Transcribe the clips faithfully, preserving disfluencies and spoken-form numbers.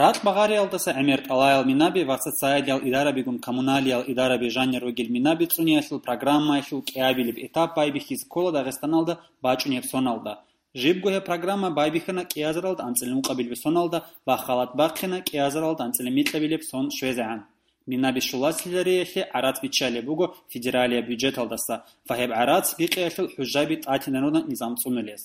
Ракь багъариялдаса гӀемер тӀалаял минаби ва социалиял идарабигун коммуналиял идараби жанир ругел минаби цӀуниялъул программаялъул кӀиабилеб этап байбихьизе ккола Дагъистаналда бачӀунеб соналда. Жибго гьеб программа байбихьана кӀиазаралда анцӀила ункъабилеб соналда ва халат бахъина кӀиазаралда анцӀила микьабилеб сон щвезегӀан. Минаби щулалъизариялъе гӀарац биччалеб буго федералияб бюджеталдаса ва гьеб гӀарац бикъиялъул хӀужаби тӀатинарунаб низам цӀунулес.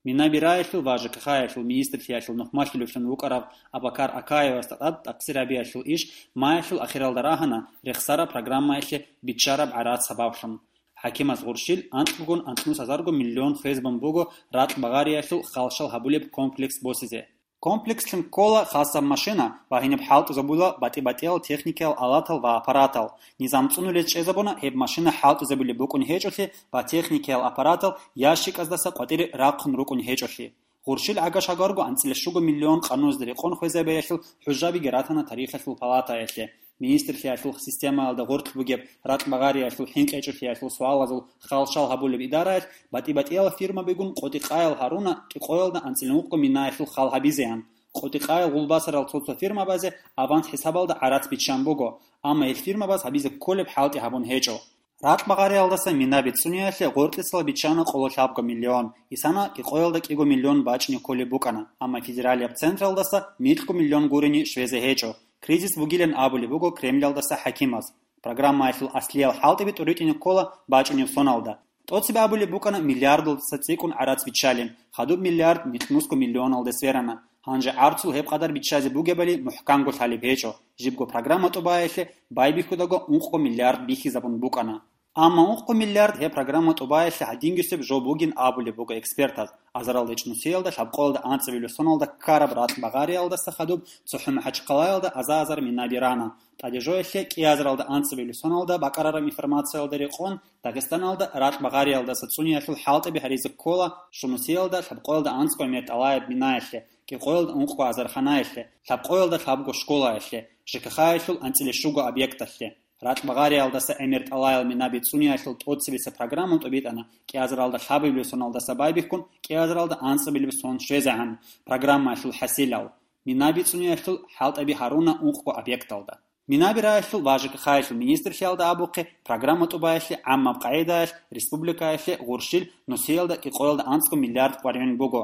Минаби раялъул ва ЖКХ-ялъул министрлъиялъул нухмалъулевлъун вукӀарав Абакар Акаевасда тӀад тӀахъсир гьабиялъул иш маялъул ахиралда рагьана рехсараб программаялъе биччараб гӀарац сабаблъун. ХӀакимаз гъурщил анкьгун анцӀнус гьазарго миллион хвезабун буго ракь багъариялъул халщал гьабулеб комплекс босизе. Комплекслъун ккола хасаб машина ва гьениб хӀалтӀизабула батӀи-батӀиял техникиял алатал ва аппаратал. Низам цӀунулез чӀезабуна гьеб машина хӀалтӀизабулеб букӀун гьечӀолъи ва техникиял аппаратал ящиказдаса къватӀире рахъун рукӀун гьечӀолъи. Гъурщил гӀага-шагарго анцӀила щуго миллион къануназда рекъон хвезабиялъул хӀужабиги ратана тарихалъул палатаялъе. Министрлъиялъул системаялда гъоркь бугеб ракь багъариялъул хӀинкъичӀолъиялъул суалазул халщал гьабулеб идараялъ батӀи-батӀиял фирмабигун къотӀи-къаял гьаруна кӀикъоялда анцӀила ункъго минаялъул хал гьабизеян. КъотӀи-къаял гъулбасарал цо-цо фирмабазе аванс хӀисабалда гӀарац биччан буго, амма гьел фирмабаз гьабизе кколеб хӀалтӀи гьабун гьечӀо. Ракь багъариялдаса минаби цӀуниялъе гъоркьисал биччана къоло лъабго миллион, исана кӀикъоялда кӀиго миллион бачӀине кколеб букӀана, амма федералияб централдаса микьго миллион гурони щвезе гьечӀо. Кризис бугилан абулеб буго Кремлялдаса хӀакимаз. Программаялъул аслиял хӀалтӀиби тӀуритӀине ккола бачӀунеб соналда. ТӀоцебе абулеб букӀана миллиардалдаса цӀикӀкӀун гӀарац биччалин, хадуб миллиард микьнусго миллионалде сверана. Гьанже гӀарцул гьеб къадар биччазе бугебали мухӀканго лъалеб гьечӀо, жибго программа тӀубаялъе байбихьудаго ункъго миллиард бихьизабун букӀана. Амма ункъго миллиард гьеб программа тӀубаялъе гьадингисеб жо бугин абулеб буго экспертаз. Азаралда ичӀнусиялда лъабкъоялда анцӀабилеб соналда ккараб ракь багъариялдаса хадуб цохӀо МахӀачхъалаялда аза-азар минаби рана. ТӀадежоялъе кӀиазаралда анцӀабилеб соналда бакӀарараб информациялда рекъон, Дагъистаналда ракь багъариялдаса цӀуниялъул хӀалтӀаби гьаризе ккола Шунусиялда лъабкъоялда анцӀго гӀемер тӀалаяб минаялъе, кӀикъоялда ункъго азарханаялъе, лъабкъоялда лъабго школаялъе, ЖКХ-ялъул анцӀила щуго объекталъе. Ракь багъариялдаса гӀемер тӀалаял минаби цӀуниялъул тӀоцебесеб программа тӀубитӀана кӀиазаралда лъабабилеб соналдаса байбихьун кӀиазаралда анцӀабилеб сон щвезегӀан программаялъул хӀасилал, минаби цӀуниялъул хӀалтӀаби гьаруна ункъго объекталда. Минаби раялъул ва ЖКХ-ялъул министрлъиялда абухъе программа тӀубаялъе гӀаммаб къагӀидаялъ республикаялъе гъурщил нусиялда кӀикъоялда анцӀго миллиард къваригӀун буго.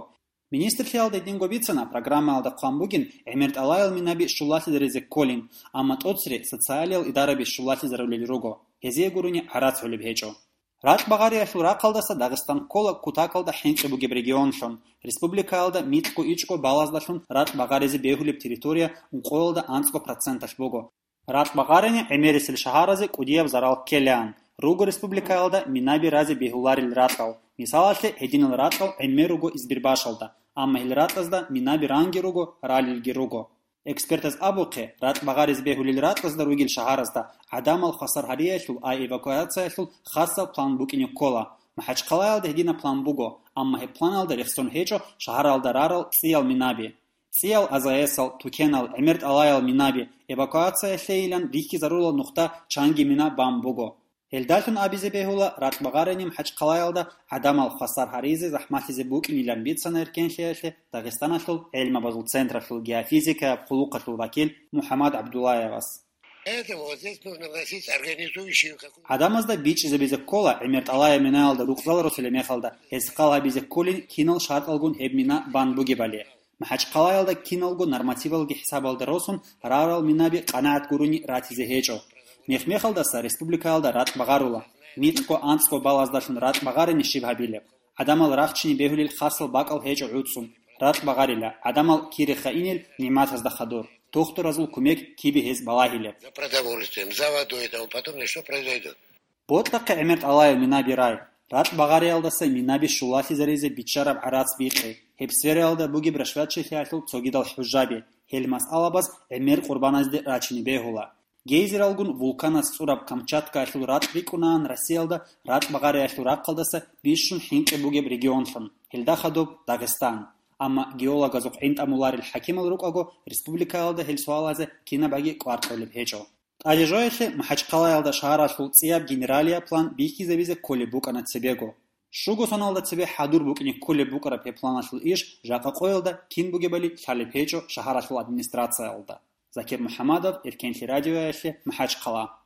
Министрлъиялда гьединго бицана, программаялда хъван бугин гӀемер тӀалаял минаби щулалъизаризе кколин, амма тӀоцере социалиял идараби щулалъизарулел руго, гьезие гурони гӀарац гьолеб гьечӀо. Ракь багъариялъул рахъалдаса Дагъистан ккола кутакалда хӀинкъи бугеб регионлъун, республикаялда микьго ичӀго балаздалъун ракь багъаризе бегьулеб территория ункъоялда анцӀго проценталъ буго. Ракь багъарани гӀемерисел шагьаразе кӀудияб зарал ккелаан, руго республикаялда минаби разе бегьуларел ракьал, мисалалъе, гьединал ракьал гӀемер руго Избербашалда, амма гьел ракьазда минаби ранги руго, ралелги руго. Экспертаз абухъе, ракь багъаризе бегьулел ракьазда ругел шагьаразда гӀадамал хвасар гьариялъул ва эвакуациялъул хасаб план букӀине ккола. МахӀачхъалаялда гьединаб план буго, амма гьеб планалда рехсон гьечӀо шагьаралда рарал цӀиял минаби. ЦӀиял АЗС-ал, тукенал, гӀемер тӀалаял минаби, эвакуациялъейилан рихьизарулал нухда чанги мина бан буго. Гьелдалъун абизе бегьула, ракь багъарани МахӀачхъалаялда гӀадамал хвасар гьаризе захӀмалъизе букӀинилан бицана эркенлъиялъе Дагъистаналъул гӀелмабазул централъул геофизикаяб хъулухъалъул вакил МухӀаммад ГӀабдуллаевас. Поэтому вот здесь нужно вносить организующую какую-то... ГӀадамазда бичӀчӀизабизе ккола, гӀемер тӀалаяб минаялда рукъзал росулеб мехалда, гьез хал гьабизе кколин кинал шартӀалгун гьеб мина бан бугебали. МахӀачхъалаялда киналго нормативалги хӀисабалда росун рарал минаби къанагӀат гурони ратизе гьечӀо. Мех-мехалдаса республикаялда ракь багъарула. Микьго анцӀго балаздалъун ракь багъарани щиб гьабилеб? ГӀадамал рахчине бегьулел хасал бакӀал гьечӀо гӀуцӀун. Ракь багъарила, гӀадамал кире хайинел нигӀматазда хадур. Тухтуразул кумек кибе гьез балагьилеб? За продовольствием, за водой, там потом что произойдет? Бокьахъе гӀемер тӀалаял минаби рай. Ракь багъариялдаса минаби щулалъизаризе биччараб гӀарац бикъи. Гьеб сфераялда бугеб рашватчилъиялъул цогидал хӀужаби. Гьел масъалабаз гӀемер къурбаназде рачине бегьула. Гейзералгун вулканас цӀураб Камчаткаялъул ракь рикӀкӀунаан Россиялда ракь багъариялъул рахъалдаса бищун хӀинкъи бугеб регионлъун, гьелда хадуб Дагъистан. Амма геологазухъ гӀинтӀамуларел хӀакимал рукӀаго, республикаялда гьел суалазе кинабаги кӀвар кьолеб гьечӀо. ТӀадежоялъе МахӀачхъалаялда шагьаралъул цӀияб генералияб план бихьизабизе кколеб букӀана цебего. Щуго соналда цебе хӀадур букӀине кколеб букӀараб гьеб планалъул иш жакъа къоялда кин бугебали лъалеб гьечӀо шагьаралъул администрациялда. Закир МухӀаммадов, Эркенлъи радиоялъе, МахӀачхъала.